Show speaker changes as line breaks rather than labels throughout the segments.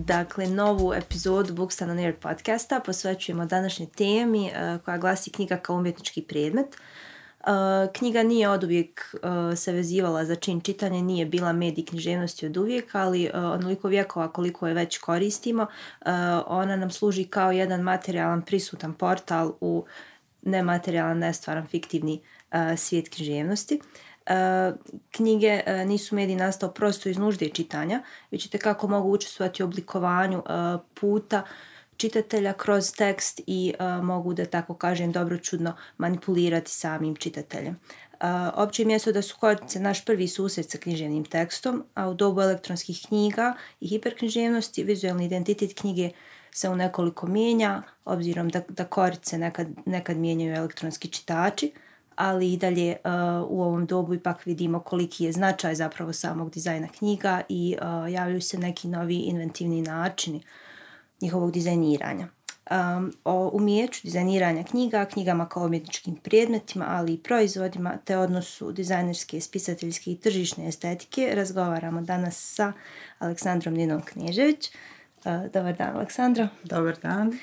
Dakle, novu epizodu Books on Air podcasta posvećujemo današnjoj temi koja glasi knjiga kao umjetnički predmet. Knjiga nije oduvijek se vezivala za čin čitanja, nije bila medij književnosti oduvijek, ali onoliko vjekova koliko je već koristimo, ona nam služi kao jedan materijalan prisutan portal u nematerijalan, nestvaran, fiktivni svijet književnosti. Knjige nisu medij nastao prosto iz nužde čitanja, već itekako mogu učestvovati u oblikovanju puta čitatelja kroz tekst i mogu, da tako kažem, dobročudno manipulirati samim čitateljem. Opće je mjesto da su korice naš prvi susret sa književnim tekstom, a u dobu elektronskih knjiga i hiperknjiževnosti vizualni identitet knjige se u nekoliko mijenja, obzirom da korice nekad mijenjaju elektronski čitači, ali i dalje u ovom dobu ipak vidimo koliki je značaj zapravo samog dizajna knjiga i javljaju se neki novi inventivni načini njihovog dizajniranja. O umijeću dizajniranja knjiga, knjigama kao umjetničkim predmetima, ali i proizvodima, te odnosu dizajnerske, spisateljske i tržišne estetike razgovaramo danas sa Aleksandrom Ninom Knežević. Dobar dan, Aleksandra.
Dobar dan.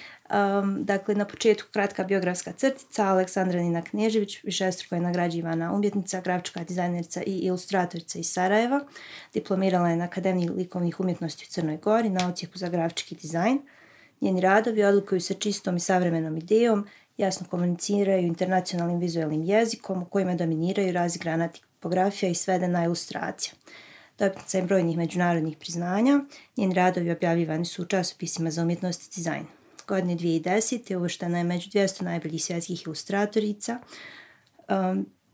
Dakle, na početku kratka biografska crtica. Aleksandra Nina Knežević višestruko je nagrađivana umjetnica, grafička dizajnerica i ilustratorica iz Sarajeva. Diplomirala je na Akademiji likovnih umjetnosti u Crnoj Gori na odsjeku za grafički dizajn. Njeni radovi odlikuju se čistom i savremenom idejom, jasno komuniciraju internacionalnim vizualnim jezikom u kojima dominiraju razigrana tipografija i svedena ilustracija. Dobitnica je brojnih međunarodnih priznanja. Njeni radovi objavljivani su u časopisima za umjetnost i dizajn. Godine 2010. uvrštena je među 200 najboljih svjetskih ilustratorica.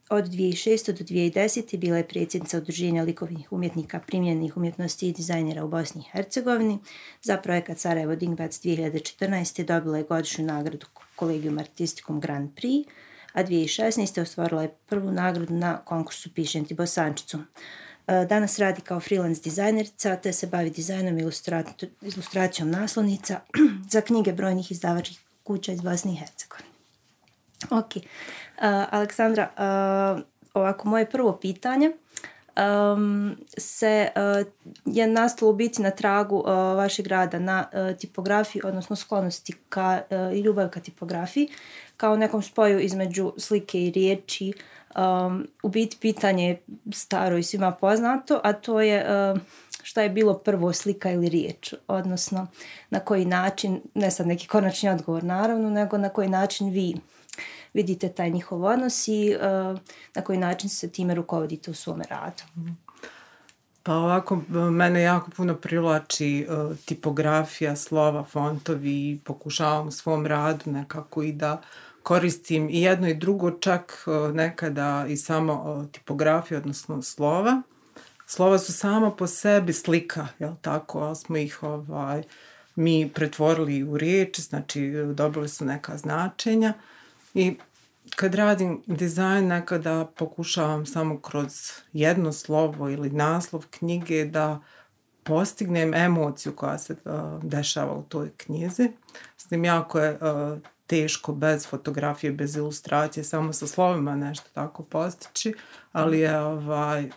Od 2006. do 2010. bila je predsjednica Udruženja likovnih umjetnika primjerenih umjetnosti i dizajnera u Bosni i Hercegovini. Za projekat Sarajevo Dingbatz 2014. dobila je godišnju nagradu Collegium Artisticum Grand Prix, a 2016. ostvarila je prvu nagradu na konkursu Pišem ti Bosančicu. Danas radi kao freelance dizajnerica te se bavi dizajnom i ilustracijom naslovnica za knjige brojnih izdavačkih kuća iz Bosne i Hercegovine. Ok, Aleksandra, ovako moje prvo pitanje je nastalo biti na tragu vašeg rada na tipografiji, odnosno sklonosti i ljubav ka tipografiji, kao nekom spoju između slike i riječi. U biti pitanje je staro i svima poznato, a to je šta je bilo prvo, slika ili riječ, odnosno na koji način, ne sad neki konačni odgovor naravno, nego na koji način vi vidite taj njihov odnos i na koji način se time rukovodite u svome radu.
Pa ovako, mene jako puno privlači tipografija, slova, fontovi i pokušavam u svom radu nekako i da koristim i jedno i drugo, čak nekada i samo tipografiju, odnosno slova. Slova su sama po sebi slika, jel tako, ali smo ih mi pretvorili u riječi, znači dobili su neka značenja i kad radim dizajn nekada pokušavam samo kroz jedno slovo ili naslov knjige da postignem emociju koja se dešava u toj knjizi. S tim jako je teško bez fotografije, bez ilustracije, samo sa slovima nešto tako postići, ali je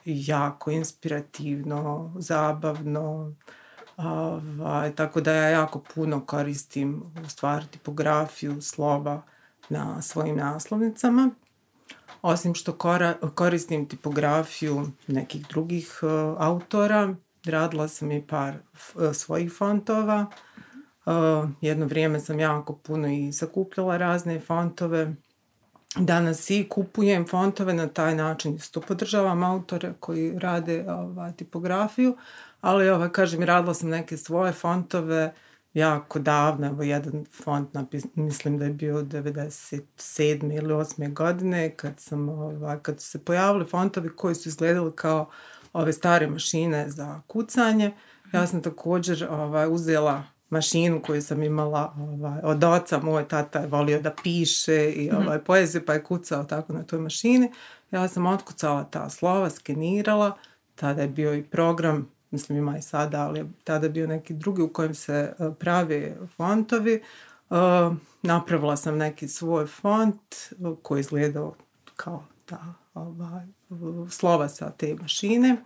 jako inspirativno, zabavno, tako da ja jako puno koristim u stvari tipografiju, slova na svojim naslovnicama. Osim što koristim tipografiju nekih drugih autora, radila sam i par svojih fontova. Jedno vrijeme sam jako puno i sakupljala razne fontove. Danas i kupujem fontove, na taj način isto podržavam autore koji rade tipografiju, ali kažem, radila sam neke svoje fontove jako davno. Evo jedan font, mislim da je bio 97. ili 8. godine, kad su se pojavili fontovi koji su izgledali kao ove stare mašine za kucanje. Ja sam također uzela mašinu koju sam imala od oca. Moj tata je volio da piše i poeziju, pa je kucao tako na toj mašini. Ja sam otkucala ta slova, skenirala. Tada je bio i program, mislim ima i sada, ali tada je bio neki drugi u kojem se prave fontovi. Napravila sam neki svoj font koji izgledao kao ta slova sa te mašine.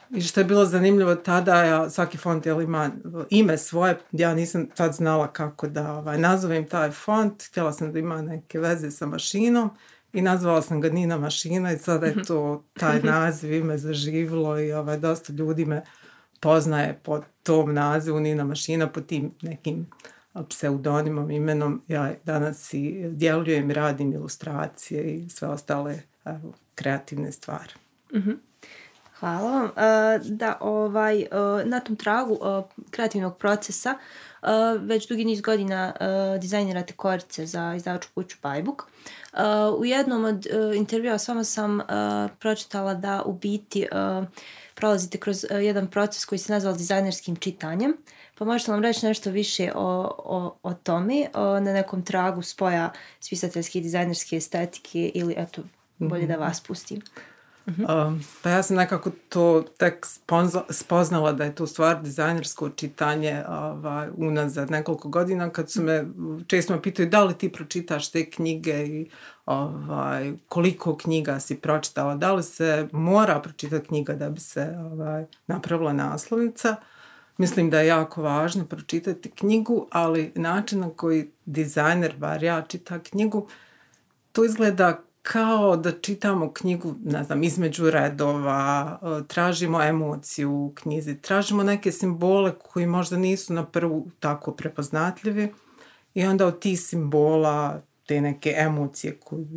I što je bilo zanimljivo tada, svaki font ima ime svoje, ja nisam tad znala kako da nazovem taj font, htjela sam da ima neke veze sa mašinom i nazvala sam ga Nina mašina i sada je to taj naziv, ime zaživilo i dosta ljudi me poznaje po tom nazivu Nina mašina, po tim nekim pseudonimom, imenom. Ja danas i djelujem i radim ilustracije i sve ostale kreativne stvari.
Hvala vam. Da, na tom tragu kreativnog procesa već dugi niz godina dizajnirate korice za izdavačku kuću Bajbuk. U jednom od intervjua s vama sam pročitala da u biti prolazite kroz jedan proces koji se nazval dizajnerskim čitanjem. Pa možete nam reći nešto više o tome, na nekom tragu spoja spisateljske i dizajnerske estetike ili eto, bolje da vas pustim.
Pa ja sam nekako to tek spoznala da je to stvar dizajnersko čitanje unazad nekoliko godina kad su me često pitaju da li ti pročitaš te knjige i koliko knjiga si pročitala, da li se mora pročitati knjiga da bi se napravila naslovnica. Mislim da je jako važno pročitati knjigu, ali način na koji dizajner, bar ja, čita knjigu, to izgleda kao da čitamo knjigu, ne znam, između redova, tražimo emociju u knjizi, tražimo neke simbole koji možda nisu na prvu tako prepoznatljivi i onda od tih simbola, te neke emocije koje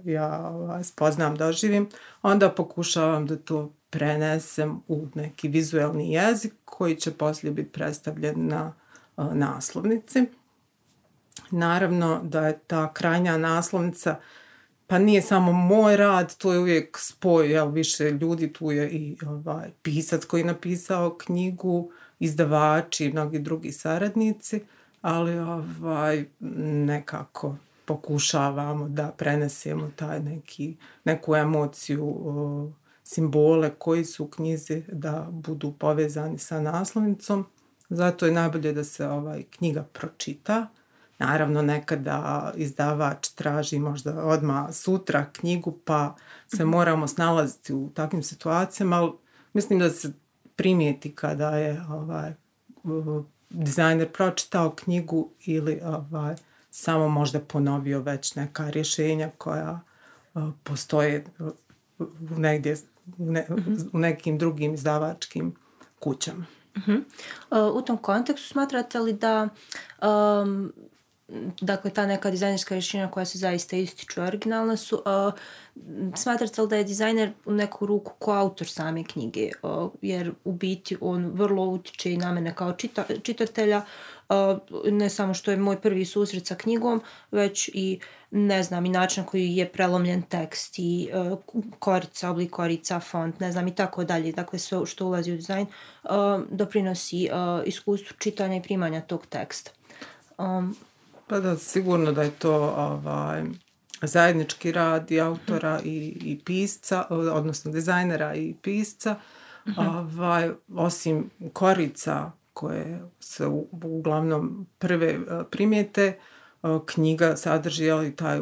ja spoznam, doživim, onda pokušavam da to prenesem u neki vizuelni jezik koji će poslije biti predstavljen na naslovnici. Naravno da je ta krajnja naslovnica, pa nije samo moj rad, to je uvijek spoj više ljudi, tu je i pisac koji je napisao knjigu, izdavači i mnogi drugi saradnici, ali nekako pokušavamo da prenesemo taj neku emociju, simbole koji su u knjizi da budu povezani sa naslovnicom. Zato je najbolje da se knjiga pročita. Naravno, nekada izdavač traži možda odmah sutra knjigu, pa se moramo snalaziti u takvim situacijama, ali mislim da se primijeti kada je dizajner pročitao knjigu ili samo možda ponovio već neka rješenja koja postoje negdje u nekim drugim izdavačkim kućama.
U tom kontekstu smatrate li da dakle ta neka dizajnerska rješenja koja se zaista ističu originalna su, smatrate li da je dizajner u neku ruku koautor same knjige, jer u biti on vrlo utiče i na mene kao čitatelja, ne samo što je moj prvi susret sa knjigom, već i ne znam i način koji je prelomljen tekst i korica, oblik korica, font, ne znam i tako dalje, dakle sve što ulazi u dizajn doprinosi iskustvu čitanja i primanja tog teksta.
Pa da, sigurno da je to zajednički rad i autora i pisca, odnosno dizajnera i pisca. Osim korica koje se uglavnom prve primijete, knjiga sadrži taj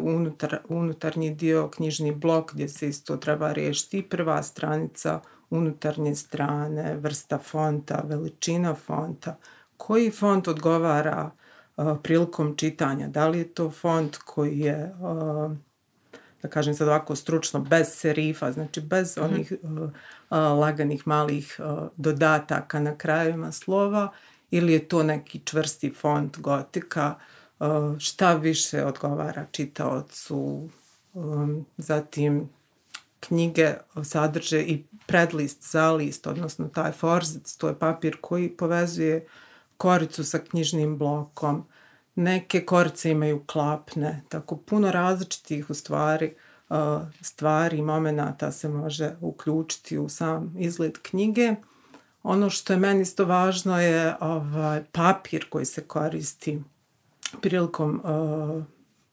unutarnji dio, knjižni blok gdje se isto treba riješiti prva stranica, unutarnje strane, vrsta fonta, veličina fonta, koji font odgovara prilikom čitanja. Da li je to font koji je, da kažem sad ovako stručno, bez serifa, znači bez onih laganih malih dodataka na krajevima slova, ili je to neki čvrsti font gotika, šta više odgovara čitaocu. Zatim knjige sadrže i predlist, zalist, odnosno taj forzic, to je papir koji povezuje koricu sa knjižnim blokom. Neke korice imaju klapne, tako puno različitih u stvari i momenata se može uključiti u sam izgled knjige. Ono što je meni isto važno je papir koji se koristi prilikom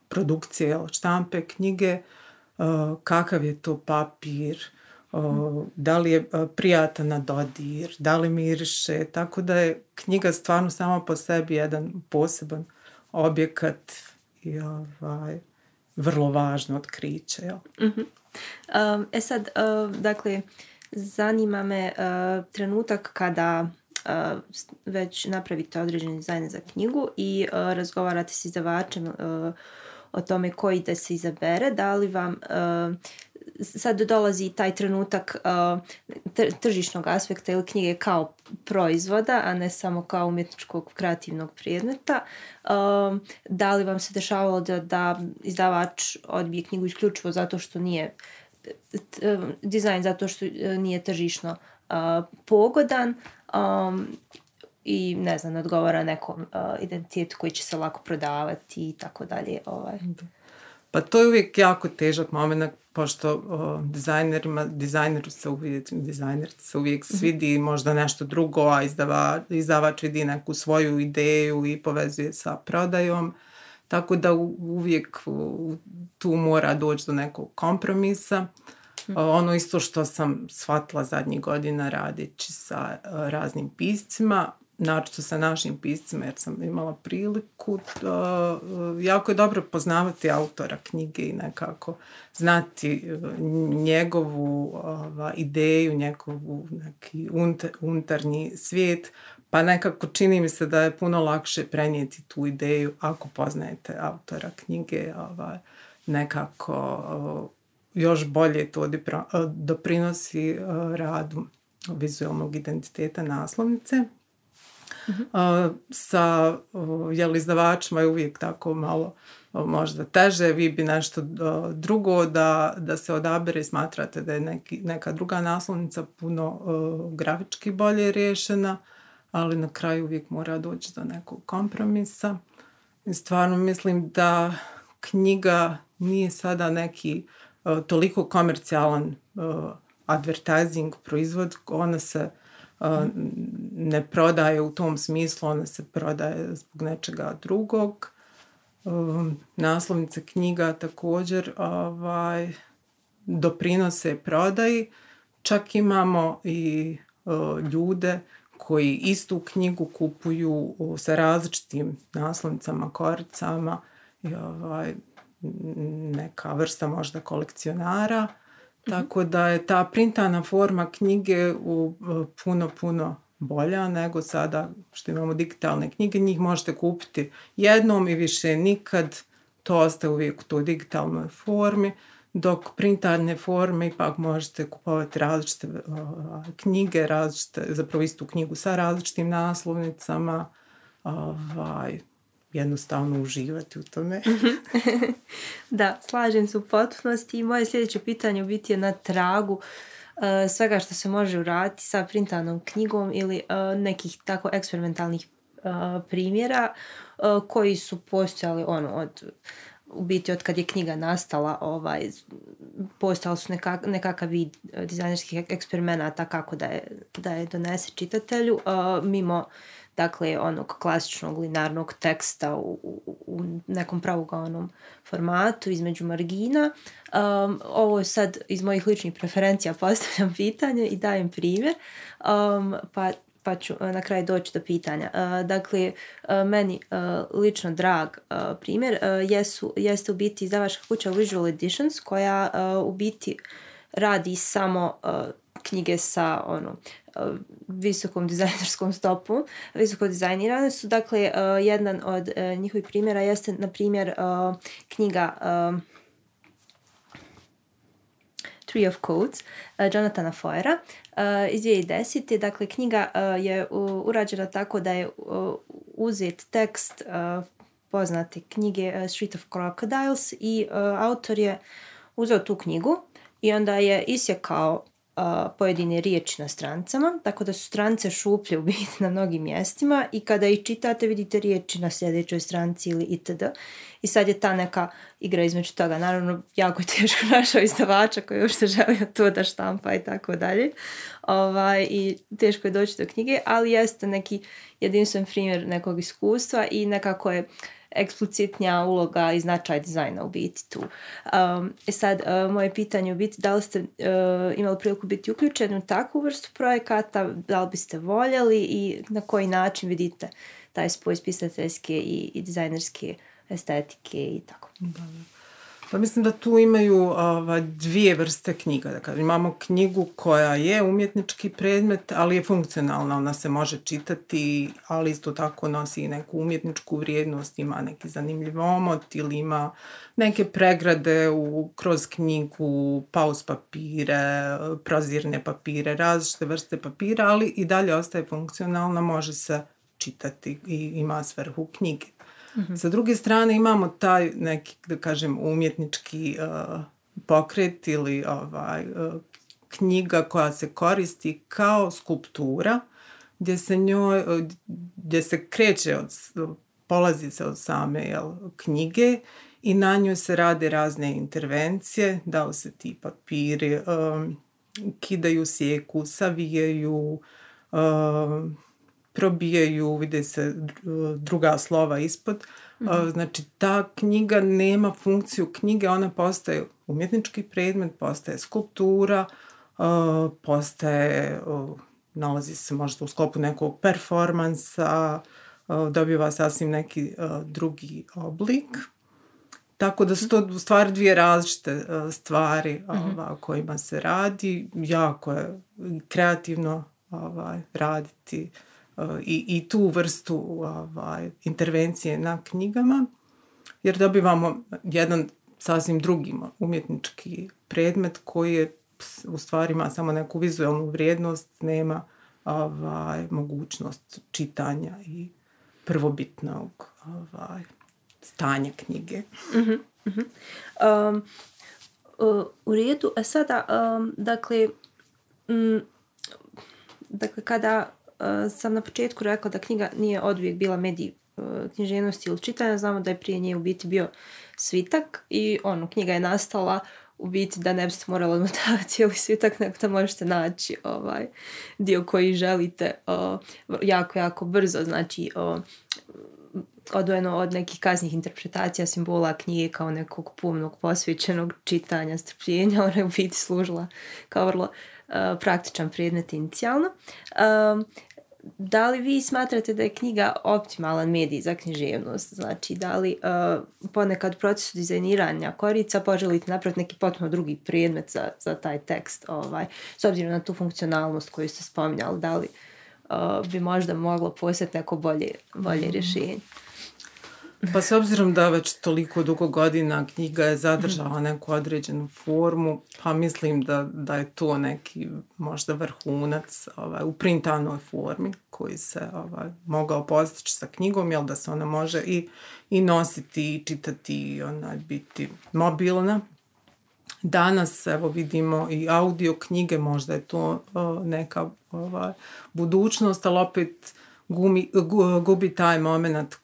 produkcije štampe knjige, kakav je to papir, da li je prijatan na dodir, da li miriše, tako da je knjiga stvarno sama po sebi jedan poseban objekat i vrlo važno otkriće.
Sad, dakle, zanima me trenutak kada već napravite određeni dizajn za knjigu i razgovarate s izdavačem o tome koji da se izabere, da li vam sad dolazi taj trenutak tržišnog aspekta ili knjige kao proizvoda, a ne samo kao umjetničkog kreativnog predmeta. Da li vam se dešavalo da izdavač odbije knjigu isključivo zato što nije dizajn, zato što nije tržišno pogodan i ne znam, odgovara nekom identitetu koji će se lako prodavati i tako dalje.
Pa to je uvijek jako težak moment, pošto dizajneru se uvijek svidi možda nešto drugo, a izdavač vidi neku svoju ideju i povezuje sa prodajom. Tako da uvijek tu mora doći do nekog kompromisa. Ono isto što sam shvatila zadnjih godina radeći sa raznim piscima, naročito sa našim piscima, jer sam imala priliku, jako je dobro poznavati autora knjige i nekako znati njegovu ideju, njegovu neki unutarnji svijet, pa nekako čini mi se da je puno lakše prenijeti tu ideju ako poznajete autora knjige, nekako još bolje to doprinosi radu vizualnog identiteta naslovnice. Sa izdavačima je uvijek tako malo možda teže, vi bi nešto drugo da se odabere, smatrate da je neka druga naslovnica puno grafički bolje riješena, ali na kraju uvijek mora doći do nekog kompromisa. I stvarno mislim da knjiga nije sada neki toliko komercijalan advertising proizvod, ona se ne prodaje u tom smislu, ona se prodaje zbog nečega drugog. Naslovnice knjiga također doprinose prodaji. Čak imamo i ljude koji istu knjigu kupuju sa različitim naslovnicama, koricama, neka vrsta možda kolekcionara. Tako da je ta printana forma knjige puno bolja nego sada što imamo digitalne knjige. Njih možete kupiti jednom i više nikad. To ostaje uvijek u toj digitalnoj formi. Dok printarne forme ipak možete kupovati različite knjige, zapravo istu knjigu sa različitim naslovnicama. Jednostavno uživati u tome.
Da, slažem se u potpunosti i moje sljedeće pitanje u biti je na tragu svega što se može uraditi sa printanom knjigom ili nekih tako eksperimentalnih primjera koji su postojali u biti od kad je knjiga nastala, postojali su nekakav vid dizajnerskih eksperimenata kako da je donese čitatelju, mimo dakle onog klasičnog linearnog teksta u nekom pravougaonom formatu između margina. Ovo je sad iz mojih ličnih preferencija, postavljam pitanje i dajem primjer, pa ću na kraju doći do pitanja. Dakle, meni lično drag primjer jeste u biti izdavačka kuća Visual Editions, koja u biti radi samo knjige sa visokom dizajnerskom stopom, visoko dizajnirane su. Dakle, jedan od njihovih primjera jeste, na primjer, knjiga Tree of Codes Jonathana Foera iz 2010. Dakle, knjiga je urađena tako da je uzet tekst poznate knjige Street of Crocodiles i autor je uzeo tu knjigu i onda je isjekao pojedine riječi na strancama, tako da su strance šuplje u biti na mnogim mjestima i kada ih čitate vidite riječi na sljedećoj stranci ili itd. I sad je ta neka igra između toga. Naravno, jako je teško našao izdavača koji još se želio to da štampa i tako dalje. I teško je doći do knjige, ali jeste neki jedinstven primjer nekog iskustva i nekako je eksplicitnija uloga i značaj dizajna u biti tu. Sad, moje pitanje u biti, da li ste imali priliku biti uključeni u takvu vrstu projekata, da li biste voljeli i na koji način vidite taj spoj pisateljske i dizajnerske estetike i tako.
Pa mislim da tu imaju dvije vrste knjiga. Dakle, imamo knjigu koja je umjetnički predmet, ali je funkcionalna. Ona se može čitati, ali isto tako nosi i neku umjetničku vrijednost, ima neki zanimljiv omot ili ima neke pregrade kroz knjigu, pauz papire, prozirne papire, različite vrste papira, ali i dalje ostaje funkcionalna, može se čitati i ima svrhu knjige. Mm-hmm. Sa druge strane imamo taj neki, da kažem, umjetnički pokret ili knjiga koja se koristi kao skulptura, gdje se kreće polazi se od same knjige i na njoj se rade razne intervencije, da li se ti papiri kidaju, sjeku, savijaju, probijaju, vide se druga slova ispod. Znači, ta knjiga nema funkciju knjige, ona postaje umjetnički predmet, postaje skulptura, postaje, nalazi se možda u sklopu nekog performansa, dobiva sasvim neki drugi oblik. Tako da su to u stvari dvije različite stvari o kojima se radi. Jako je kreativno raditi i tu vrstu intervencije na knjigama, jer dobivamo jedan sasvim drugi umjetnički predmet koji je u stvari ima samo neku vizualnu vrijednost, nema mogućnost čitanja i prvobitnog stanja knjige.
U redu, a sada, dakle, kada sam na početku rekla da knjiga nije oduvijek bila medij književnosti ili čitanja, znamo da je prije nje u biti bio svitak i knjiga je nastala u biti da ne biste morali odmotavati cijeli svitak, nego da možete naći dio koji želite jako, jako brzo, znači odvojeno od nekih kasnih interpretacija simbola knjige kao nekog pomnog posvećenog čitanja, strpljenja, ona je u biti služila kao vrlo praktičan predmet inicijalno. Da li vi smatrate da je knjiga optimalan medij za književnost? Znači, da li ponekad u procesu dizajniranja korica poželite napraviti neki potpuno drugi predmet za taj tekst, s obzirom na tu funkcionalnost koju ste spominjali, da li bi možda moglo postati neko bolje rješenje?
Pa s obzirom da već toliko dugo godina knjiga je zadržala neku određenu formu, pa mislim da je to neki možda vrhunac u printanoj formi koji se mogao postići sa knjigom, jel da se ona može i nositi i čitati i biti mobilna. Danas evo vidimo i audio knjige, možda je to neka budućnost, ali opet gubi taj moment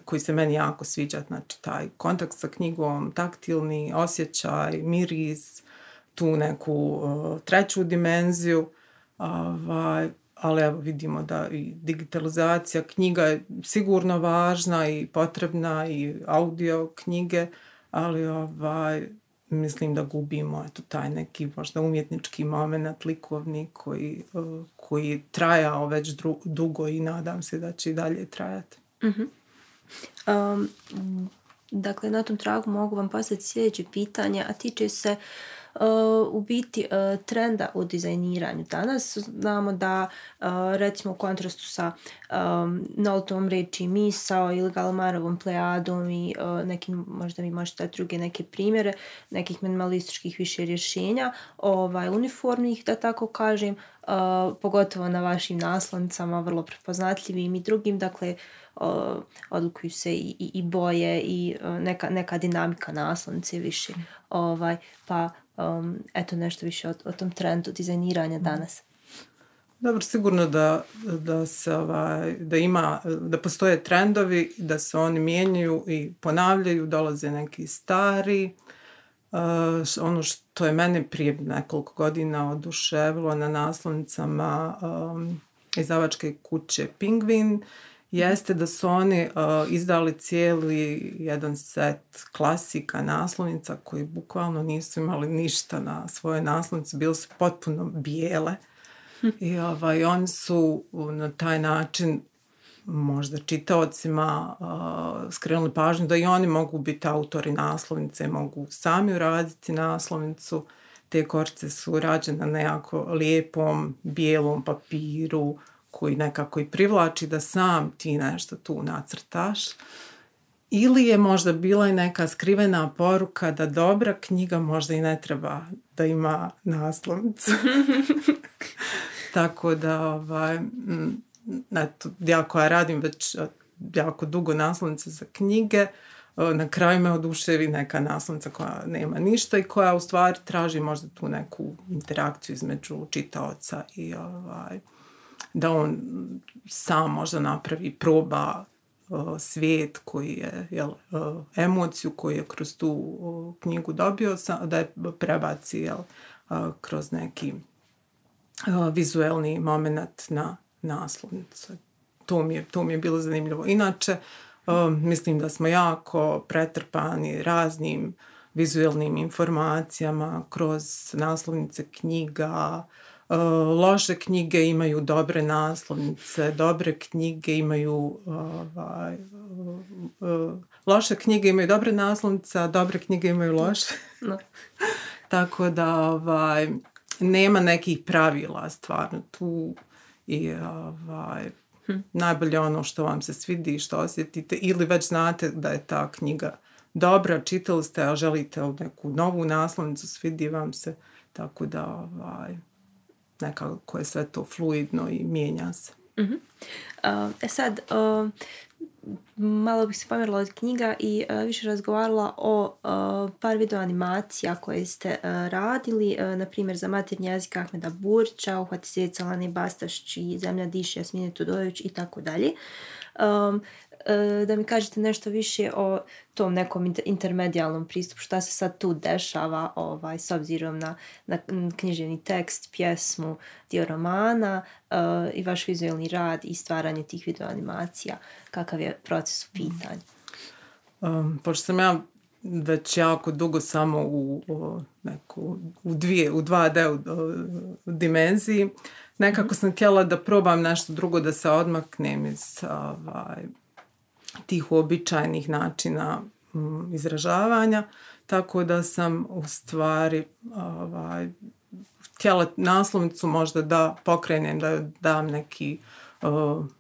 koji se meni jako sviđa, znači taj kontakt sa knjigom, taktilni osjećaj, miris, tu neku treću dimenziju, ali evo vidimo da i digitalizacija knjiga je sigurno važna i potrebna i audio knjige, ali mislim da gubimo taj neki možda umjetnički moment, likovni koji je trajao već dugo i nadam se da će i dalje trajati.
Dakle, na tom tragu mogu vam postaviti sljedeće pitanje, a tiče se u biti trenda u dizajniranju danas. Znamo da recimo u kontrastu sa Noltovom reči misao ili Galamarovom plejadom i nekim, možda mi možete dati druge neke primjere, nekih minimalističkih više rješenja, uniformnih, da tako kažem, pogotovo na vašim naslovnicama, vrlo prepoznatljivim i drugim, dakle, odlikuju se i boje i neka dinamika naslovnice više. Pa eto nešto više o tom trendu dizajniranja danas.
Dobro, sigurno da se da postoje trendovi, da se oni mijenjaju i ponavljaju, dolaze neki stari. Ono što je mene prije nekoliko godina oduševilo na naslovnicama izdavačke kuće Penguin jeste da su oni izdali cijeli jedan set klasika naslovnica koji bukvalno nisu imali ništa na svojoj naslovnici, bile su potpuno bijele i oni su na taj način možda čitaocima skrenuli pažnju da i oni mogu biti autori naslovnice, mogu sami uraditi naslovnicu. Te korice su rađene na jako lijepom bijelom papiru koji nekako i privlači da sam ti nešto tu nacrtaš. Ili je možda bila i neka skrivena poruka da dobra knjiga možda i ne treba da ima naslovnicu. Tako da, eto, ja koja radim već jako dugo naslovnice za knjige, na kraju me oduševi neka naslovnica koja nema ništa i koja u stvari traži možda tu neku interakciju između čitaoca i da on sam možda napravi, proba svijet koji je, emociju koju je kroz tu knjigu dobio, da je prebaci kroz neki vizuelni moment na naslovnicu. To mi je bilo zanimljivo. Inače, mislim da smo jako pretrpani raznim vizuelnim informacijama kroz naslovnice knjiga. Loše knjige imaju dobre naslovnice, dobre knjige imaju loše knjige imaju dobre naslovnice, a dobre knjige imaju loše. No. Tako da nema nekih pravila stvarno tu i najbolje ono što vam se svidi i što osjetite, ili već znate da je ta knjiga dobra, čitali ste, a želite neku novu naslovnicu, svidi vam se, tako da nekako je sve to fluidno i mijenja se.
Uh-huh. Sad, malo bih se pomjerila od knjiga i više razgovarala o par video animacija koje ste radili, na primjer za maternji jezik Ahmeda Burića, Uhvati svijet Lane Bastašći, Zemlja diše Jasmine Tudojević i tako dalje. Da mi kažete nešto više o tom nekom intermedijalnom pristupu, šta se sad tu dešava s obzirom na književni tekst, pjesmu, dio romana i vaš vizualni rad i stvaranje tih video-animacija. Kakav je proces u pitanju?
Pošto sam ja već jako dugo samo u 2D dimenziji, nekako sam htjela da probam nešto drugo, da se odmaknem iz tih uobičajenih načina izražavanja, tako da sam u stvari htjela naslovnicu možda da pokrenem, da dam neki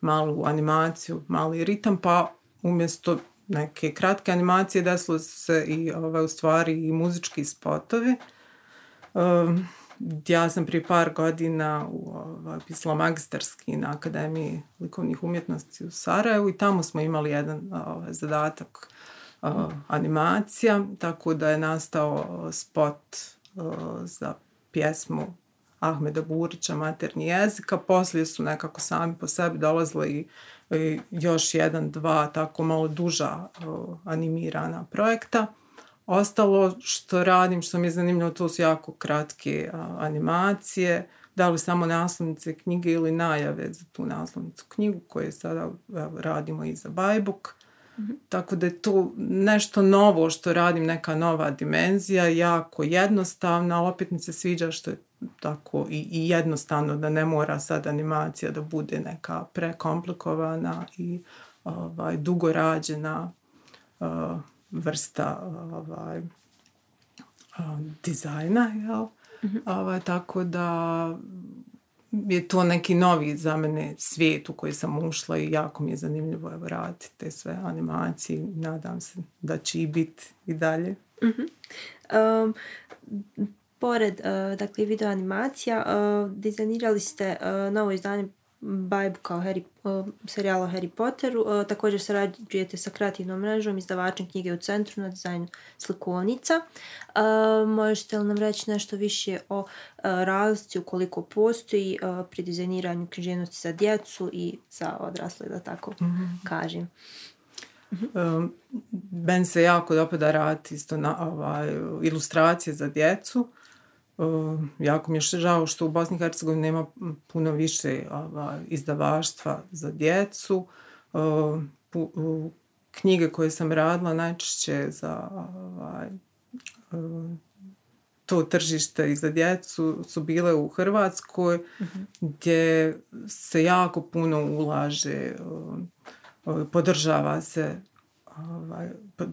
malu animaciju, mali ritam, pa umjesto neke kratke animacije desilo se i u stvari i muzički spotovi. Ja sam prije par godina pisala magistarski na Akademiji likovnih umjetnosti u Sarajevu i tamo smo imali jedan zadatak animacija, tako da je nastao spot za pjesmu Ahmeda Burića, Maternji jezik, a poslije su nekako sami po sebi dolazili i još jedan, dva tako malo duža animirana projekta. Ostalo što radim, što mi je zanimljivo, to su jako kratke animacije, da li samo naslovnice knjige ili najave za tu naslovnicu knjigu koje sada radimo i za Bajbuk. Mm-hmm. Tako da je to nešto novo što radim, neka nova dimenzija, jako jednostavna, ali opet mi se sviđa što je tako i jednostavno, da ne mora sad animacija da bude neka prekomplikovana i dugo rađena vrsta dizajna, jel? Mm-hmm. Tako da je to neki novi za mene svijet u koji sam ušla i jako mi je zanimljivo raditi te sve animacije. Nadam se da će i biti i dalje.
Mm-hmm. Pored video animacija, dizajnirali ste novo izdanje Bajbuka o serijalu o Harry Potteru. Također sarađujete sa kreativnom mrežom, izdavačem knjige u centru na dizajnu slikovnica. Možete li nam reći nešto više o razlici ukoliko postoji pri dizajniranju književnosti za djecu i za odrasle, da tako kažem?
Ben se jako dopada raditi isto na ilustracije za djecu. Jako mi je žao što u Bosni i Hercegovini nema puno više izdavaštva za djecu. Knjige koje sam radila najčešće za to tržište i za djecu su bile u Hrvatskoj, gdje se jako puno ulaže,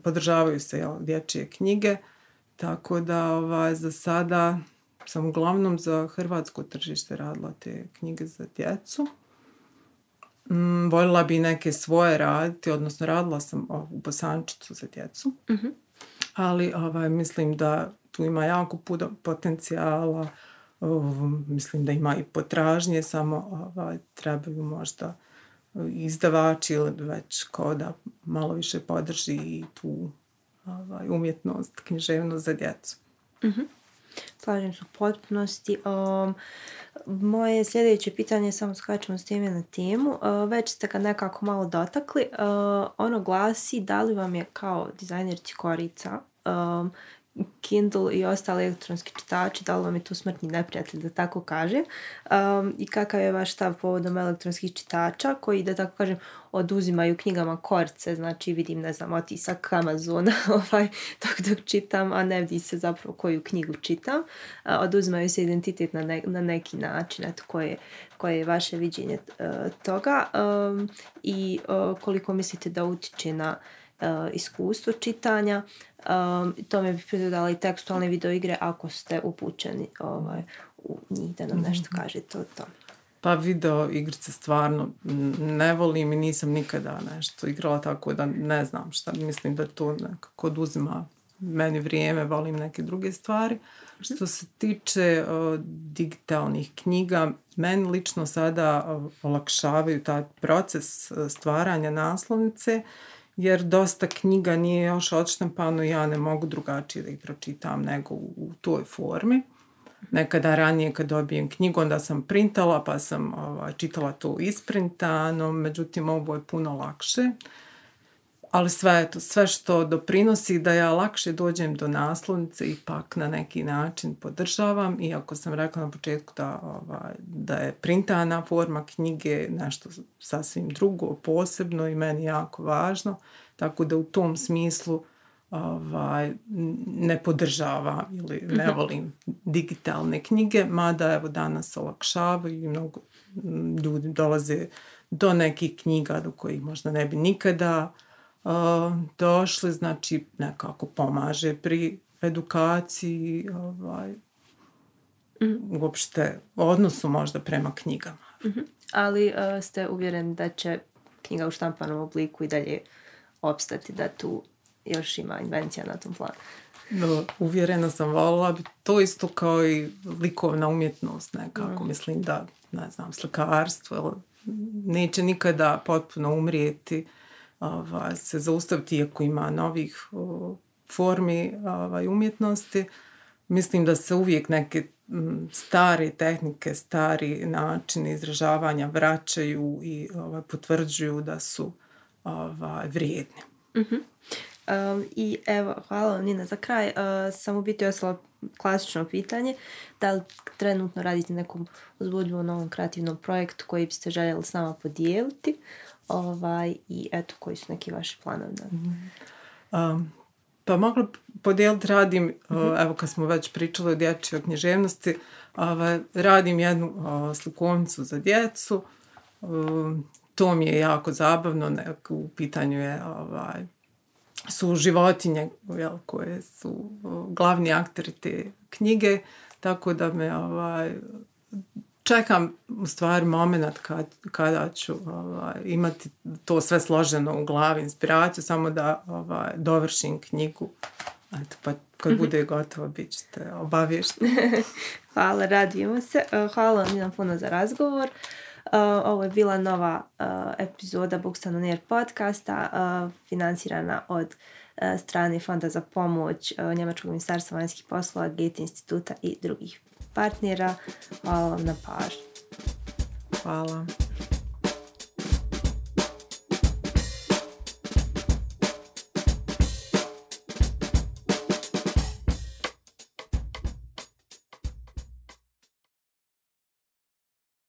podržavaju se dječje knjige, tako da za sada sam uglavnom za hrvatsko tržište radila te knjige za djecu. Voljela bi neke svoje raditi, odnosno radila sam u Bosančiću za djecu, ali mislim da tu ima jako puno potencijala, mislim da ima i potražnje, samo trebaju možda izdavači ili već ko da malo više podrži i tu umjetnost, književnost za djecu.
Slažem se u potpunosti. Moje sljedeće pitanje, samo skačemo s teme na temu, već ste ga nekako malo dotakli. Ono glasi, da li vam je kao dizajnerci korica Kindle i ostali elektronski čitači, da li vam je tu smrtni neprijatelj, da tako kažem, i kakav je vaš stav povodom elektronskih čitača koji, da tako kažem, oduzimaju knjigama korice, znači vidim, ne znam, otisak Amazona dok čitam, a ne vidi se zapravo koju knjigu čitam, oduzimaju se identitet na neki način, eto, koje je vaše viđenje toga, i koliko mislite da utiče na iskustvo čitanja. Tome bi pridodala i tekstualne videoigre ako ste upućeni u njih, da nam nešto kažete o tome.
Pa video igrice stvarno ne volim i nisam nikada nešto igrala, tako da ne znam šta. Mislim da to nekako oduzima meni vrijeme, volim neke druge stvari. Što se tiče digitalnih knjiga, meni lično sada olakšavaju taj proces stvaranja naslovnice, jer dosta knjiga nije još odštampano i ja ne mogu drugačije da ih pročitam nego u toj formi. Nekada ranije kad dobijem knjigu, onda sam printala pa sam čitala to isprintano, međutim ovo je puno lakše. Ali sve što doprinosi da ja lakše dođem do naslovnice ipak na neki način podržavam, iako sam rekla na početku da je printana forma knjige nešto sasvim drugo, posebno i meni jako važno, tako da u tom smislu ne podržavam ili ne volim digitalne knjige, mada evo danas olakšavaju i mnogo ljudi dolaze do nekih knjiga do kojih možda ne bi nikada došli, znači nekako pomaže pri edukaciji, uopšte odnosu možda prema knjigama.
Ali ste uvjereni da će knjiga u štampanom obliku i dalje opstati, da tu još ima invencija na tom planu?
Uvjerena sam, voljela bi to isto kao i likovna umjetnost nekako. Mislim da, ne znam, slikarstvo neće nikada potpuno umrijeti, se zaustaviti iako ima novih formi umjetnosti. Mislim da se uvijek neke stare tehnike, stari načini izražavanja vraćaju i potvrđuju da su vrijedni.
I evo, hvala vam Nina. Za kraj sam u biti ostala klasično pitanje, da li trenutno radite nekom uzbudljivom novom kreativnom projektu koji biste željeli s nama podijeliti, i eto, koji su neki vaši planovi?
Pa mogla podijeliti, radim, evo kad smo već pričali o dječjoj književnosti, radim jednu slikovnicu za djecu, to mi je jako zabavno, u pitanju je su životinje koje su glavni akteri te knjige, tako da me čekam u stvari moment kada ću imati to sve složeno u glavi, inspiraciju, samo da dovršim knjigu. Eto, pa kad bude gotovo, bit ćete obavješteni.
Hvala, radimo se. Hvala vam Nina puno za razgovor. Ovo je bila nova epizoda Books on Air podcasta, financirana od strane Fonda za pomoć Njemačkog ministarstva vanjskih poslova, Goethe instituta i drugih partnera. Hvala vam na pažnju.
Hvala.